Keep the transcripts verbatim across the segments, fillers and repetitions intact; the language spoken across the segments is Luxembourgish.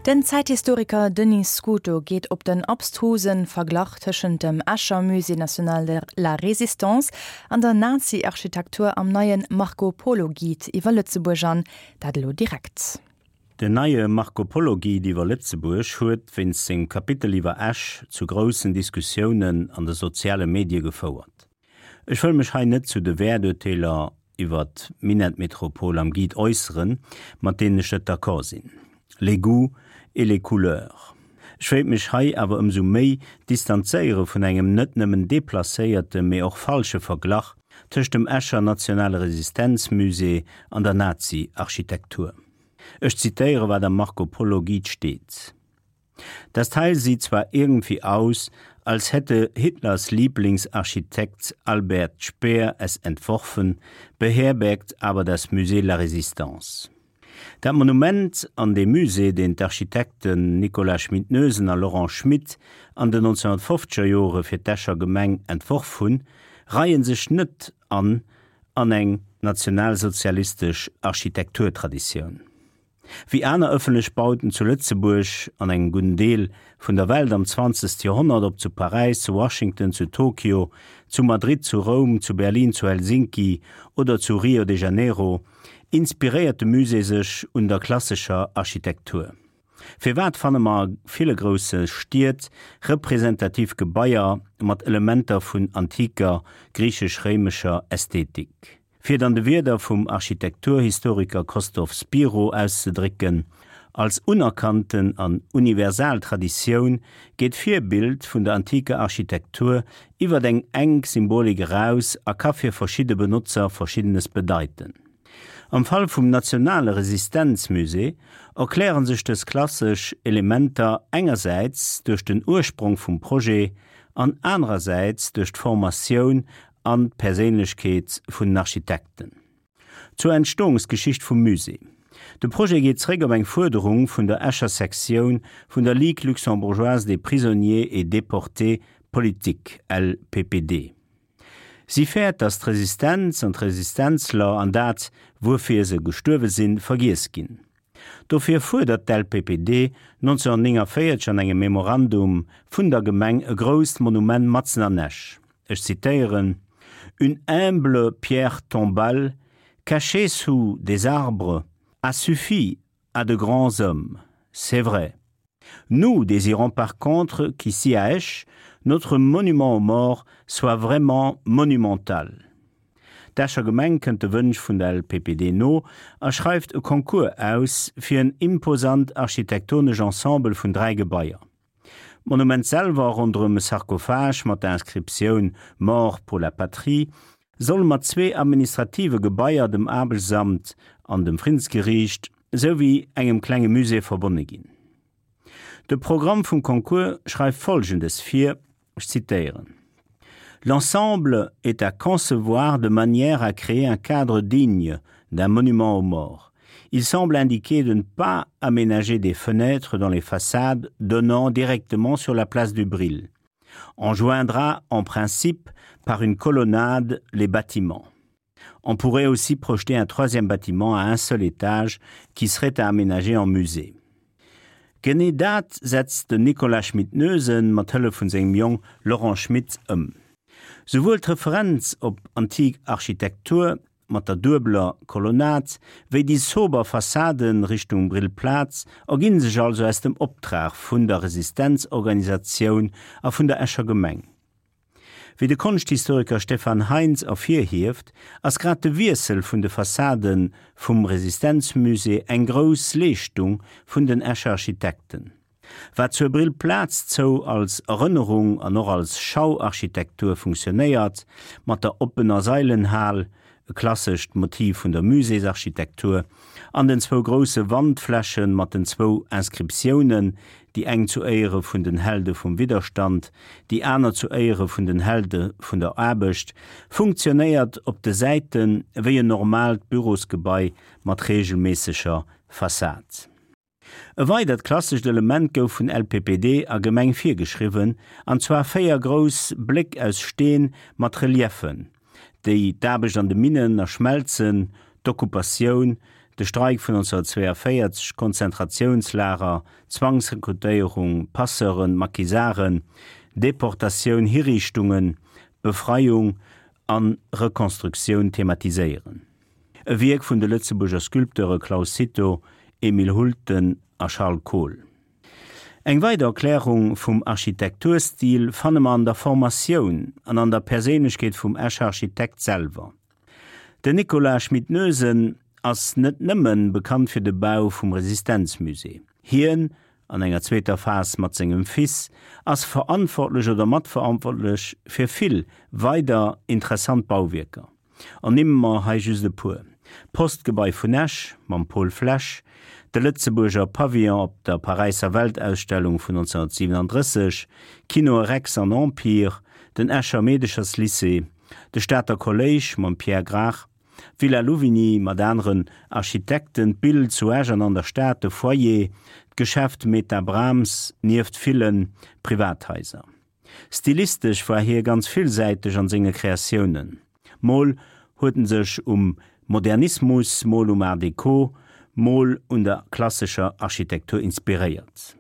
Den Zäithistoriker Denis Scuto geet op den abstruse Verglach tëschent dem Escher Musée national de la Résistance an der Nazi-Architektur am neien Marco Polo Guide iwwer Lëtzebuerg an, dat elo direkt. Den neie Marco Polo Guide iwwer Lëtzebuerg huet wéinst sengem Kapitel iwwer Esch zu groussen Diskussiounen an de soziale Medie gefouert. Ech wëll mech hei net zu de Wäerturteeler iwwer d'Minettmetropol am Guide äusseren, mat deenen ech net d'accord sinn. Les goûts et les couleurs. Ech wéilt mech hei awer ëmsou méi distanzéiere vun engem net nëmmen deplacéierte, mee och falsche Verglach tëscht dem Escher Nationale Resistenzmusée an der Nazi-Architektur. Ech zitéiere wat am Marco Polo Guide steet. Das Teil sieht zwar irgendwie aus, als hätte Hitlers Lieblingsarchitekt Albert Speer es entworfen, beherbergt aber das Musée la Résistance. Dat Monument an de Musée, deen d'Architekten Nicolas Schmit-Noesen a Laurent Schmit an den neunzehnhunnertfofzeger Jore fir d'Escher Gemeng entworf hunn, reien sech net an an eng nationalsozialistesch Architekturtraditioun. Wéi aner ëffentlech Bauten zu Lëtzebuerg an engem gudden Deel vun der Welt am zwanzegste Joerhonnert, ob zu Paräis, zu Washington, zu Tokio, zu Madrid, zu Roum, zu Berlin, zu Helsinki oder zu Rio de Janeiro, inspiréiert de Musée sech un der klassescher Architektur. Firwat fanne mer a ville grousse Stied representativ Gebaier mat Elementer vun antiker griichesch-réimescher Ästhetik? Fir et an de Wierder vum Architekturhistoriker Kostov Spiro auszedrécken, Als unerkannten an universal Traditioun geet d'Virbild vun der antiker Architektur iwwer eng enk Symbolik eraus a ka fir verschidde Benotzer Verschiddenes bedeiten. Am Fall vum Nationale Resistenzmusée erkläre sech dës klassesch Elementer engersäits duerch den Ursprong vum Projet an anerersäits duerch d'Formatioun an d'Perséinlechkeet vun den Architekten. Zur Entstoungsgeschicht vum Musée. De Projet geet zréck op eng Fuerderung vun der Escher Sektioun vun der Ligue luxembourgeoise des prisonniers et déportés politiques, L P P D. Si fäert, datt d'Resistenz an d'Resistenzler an dat, wuerfir se gestuerwe sinn, vergiess ginn. Dofir fuerdert d'L P P D neunzehnhunnertnénganvéierzeg an engem Memorandum vun der Gemeng e grousst Monument matzen an Esch. Ech zitéieren: Une humble pierre tombale, cachée sous des arbres, a suffi à de grands hommes. C'est vrai. Nous désirons par contre qu'ici à Esch, notre monument aux morts soit vraiment monumental. D'Escher Gemeng kënnt de Wënsch vun der L P P D no a schreift e Concours aus fir en imposant architektonesch Ensemble vun dräi Gebaier. D'Monument selwer ronderëm e Sarkophag mat der Inscriptioun Mort pour la patrie soll mat zwee administrative Gebaier, dem Aarbechtsamt an dem Friddensgeriicht, souwéi engem klenge Musée verbonne ginn. De Programm vum Concours schreift Folgendes vir, ech zitéieren: L'ensemble est à concevoir de manière à créer un cadre digne d'un monument aux morts. Il semble indiqué de ne pas aménager des fenêtres dans les façades donnant directement sur la place du Brill. On joindra en principe par une colonnade les bâtiments. On pourrait aussi projeter un troisième bâtiment à un seul étage qui serait à aménager en musée. Genee dat setzt den Nicolas Schmit-Noesen mat Hëllef vun sengem Jong Laurent Schmit ëm. Souwuel d'Referenz op antik Architektur mat der duebeler Kolonnad wéi déi sober Fassaden Richtung Brillplaz erginn sech also aus dem Optrag vun der Resistenzorganisatioun a vun der Escher Gemeng. Wéi de Konschthistoriker Stefan Heinz ervirhieft, ass grad de Wiessel vun de Fassade vum Resistenzmusée eng grouss Leeschtung vun den Escher Architekten. Wat zur Brillplaz zou als Erënnerung an och als Schauarchitektur funktionéiert, mat der oppener Sailenhal, e klassescht Motiv vun der Muséesarchitektur, an den zwou grousse Wandfläche mat den zwou Inscriptiounen, déi eng zu Éiere vun den Helde vum Widderstand, déi aner zu Éiere vun den Helde vun der Aarbecht, funktionéiert op de Säite wéi en normaalt Bürosgebai mat reegelméisseger Fassad. E weidert klassescht Element gouf vun L P P D a Gemeng virgeschriwwen, an zwar véier grouss Bléck aus Steen mat Reliefen, déi d'Aarbecht an de Minnen a Schmelzen, d'Okkupatioun, de Streik vun neunzehnhundertzweiundvéierzeg, Konzentratiounslager, Zwangsrekrutéierung, Passeuren, Maquisarden, Deportatioun, Hiriichtungen, Befreiung a Rekonstruktioun thematiséieren. E Wierk vun de Lëtzebuerger Sculpteure Claus Cito, Emile Hulten a Charles Kohl. Eng weider Erklärung vum Architekturstil fanne mer an der Formatioun an an der Perséinlechkeet vum Escher Architekt selwer. Den Nicolas Schmit-Noesen ass net nëmmen bekannt fir de Bau vum Resistenzmusée. Hien, an enger zweeter Phas mat sengem Fils, ass verantwortlech oder matverantwortlech fir vill weider interessant Bauwierker. Ernimme mer hei just e puer: D'Postgebai vun Esch mam Paul Flesch, de Lëtzebuerger Pavillon op der Paräisser Weltausstellung vun neunzehnhundertsiewenunddrësseg, d'Kinoe Rex an Empire, den Escher Meedecherslycée, de Stater Kolléisch mam Pierre Grach, d'Villa Louvigny mat aneren Architekten, d'Bild zu Esch an an der Stad, de Foyer, d'Geschäft Meta Brahms, nieft ville Privathaiser. Stilistesch war hie ganz villsäiteg an senge Kreatiounen. Mol huet en sech um Modernismus, mol um Art Deco, mol un der klassescher Architektur inspiréiert.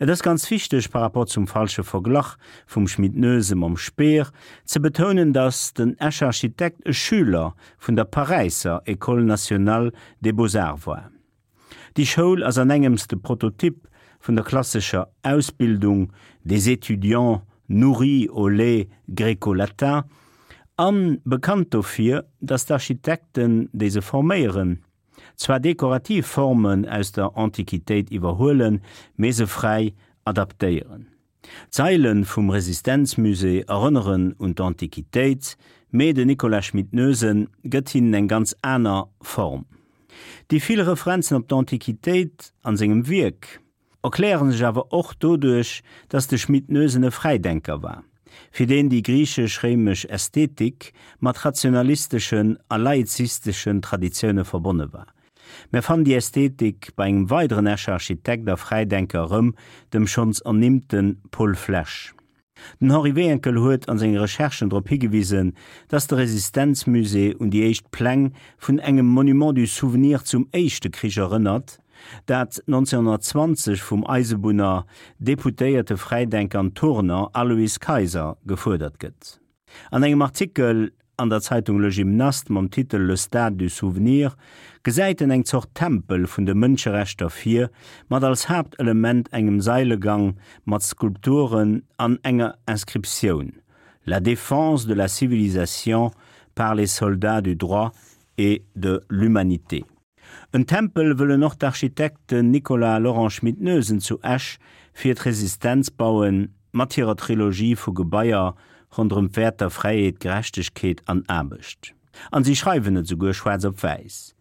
Et ass ganz wichteg, par rapport zum falsche Verglach vum Schmit-Noesen mam Speer, ze betounen, datt den Escher Architekt e Schüler vun der Paräisser École nationale des beaux-arts war. Déi Schoul ass an engems de Prototyp vun der klassescher Ausbildung des étudiants nourris au lait gréco-latin an bekannt dofir, datt d'Architekten, déi se forméieren, zwar dekorativ Formen aus der Antiquitéit iwwerhuelen, mee se fräi adaptéieren. D'Saile vum Resistenzmusée erënneren un d'Antiquitéit, mee den Nicolas Schmit-Noesen gëtt hinnen eng ganz aner Form. Déi vill Referenzen op d'Antiquitéit an sengem Wierk erkläre sech awer och doduerch, datt de Schmit-Noesen e Fräidenker war, fir deen déi griichesch-réimesch Ästhetik mat rationalisteschen a laizisteschen Traditioune verbonne war. Mir fannen déi Ästhetik bei engem weideren Escher Architekt a Fräidenker erëm, dem schonns ernimmte Paul Flesch. Den Henri Wehenkel huet an senge Recherchen drop higewisen, datt de Resistenzmusée un déi éischt Pläng vun engem Monument du Souvenir zum Éischte Krich erënnert, dat neunzehnhundertzwanzeg vum Eisebunner, Deputéierte, Fräidenker an Turner Alois Kayser gefuerdert gëtt. An engem Artikel an der Zeitung Le Gymnaste mam Titel Le Stade du Souvenir gesäit en eng Zort Tempel vun de Mënscherechter vir, mat als Haaptelement engem Sailegang mat Skulpturen an enger Inscriptioun, La défense de la civilisation par les soldats du droit et de l'humanité. En Tempel wëllen och d'Architekten Nicolas Laurent Schmit-Noesen zu Esch fir d'Resistenz bauen, mat hirer Trilogie vu Gebaier ronderëm d'Wäerter Fräiheet, Gerechtegkeet an Aarbecht. An si schreiwen et souguer schwaarz op wäiss,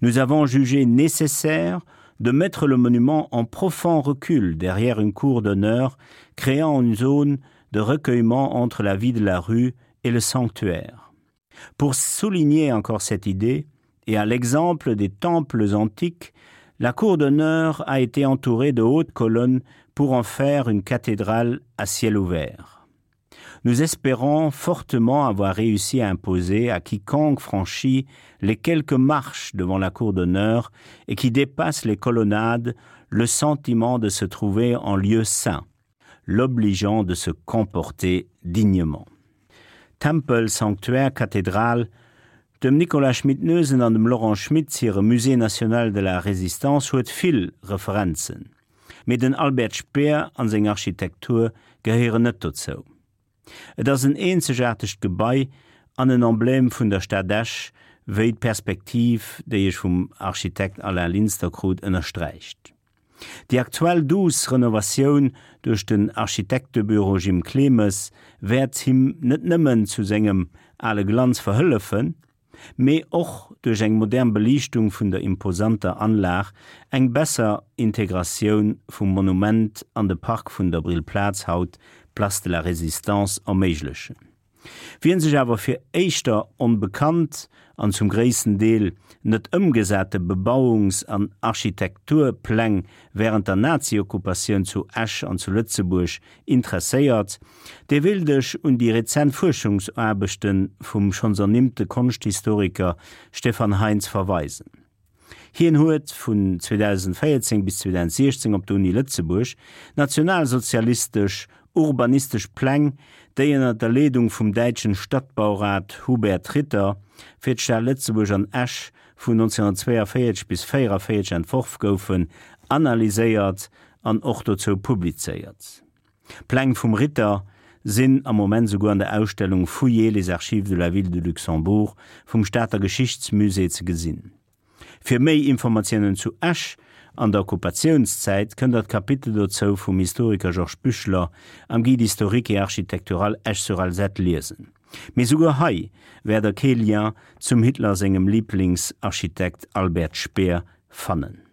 Nous avons jugé nécessaire de mettre le monument en profond recul derrière une cour d'honneur, créant une zone de recueillement entre la vie de la rue et le sanctuaire. Pour souligner encore cette idée, et à l'exemple des temples antiques, la cour d'honneur a été entourée de hautes colonnes pour en faire une cathédrale à ciel ouvert. Nous espérons fortement avoir réussi à imposer à quiconque franchit les quelques marches devant la cour d'honneur et qui dépasse les colonnades le sentiment de se trouver en lieu saint, l'obligeant de se comporter dignement. Tempel, Sanctuaire, Kathedral, dem Nicolas Schmit-Noesen an dem Laurent Schmit hire Musée national de la Résistance huet vill Referenzen. Mee den Albert Speer an seng Architektur gehéieren net dozou. Et ass en eenzegaartegt Gebai an en Emblème vun der Stad Esch, wéi d'Perspektiv, déi ech vum Architekt Alain Linster krut, ënnersträicht. Déi aktuell duuss Renovatioun duerch den Architektebüro Jim Clemes wäert him net nëmmen zu sengem ale Glanz verhëllefen, mee och duerch eng modern Beliichtung vun der imposanter Anlag eng besser Integratioun vum Monument an de Park vun der Brillplaz, haut Place de la Résistance, erméiglechen. Wien sech awer fir éischter onbekannt an zum gréissten Deel net ëmgesate Bebauungs an Architekturpläng wärend der Nazi-Okkupatioun zu Esch an zu Lëtzebuerg interesséiert, dee wéilt ech un déi rezent Fuerschungsaarbechte vum schonns ernimmte Konschthistoriker Stefan Heinz verweisen. Hien huet vun zweedausendvéierzéng bis zweedausendsiechzéng op der Uni Lëtzebuerg nationalsozialistesch urbanistesch Pläng, déi ënner der Leedung vum däitschen Stadtbaurat Hubert Ritter fir d'Stad Lëtzebuerg an Esch vun neunzehnhundertzwéienvéierzeg bis véierenvéierzeg entworf goufen, analyséiert an och dozou publizéiert. Pläng vum Ritter sinn am Moment souguer an der Ausstellung Fouillez les archives de la ville de Luxembourg vum Stater Geschichtsmusée ze gesinn. Fir méi Informatiounen zu Esch an der Okkupatiounszäit kënnt der d'Kapitel dozou vum Historiker Georges Büchler am Guide historique et architectural Esch-sur-Alzette liesen. Mee souguer hei wäert der kee Lien zum Hitler sengem Liblingsarchitekt Albert Speer fannen.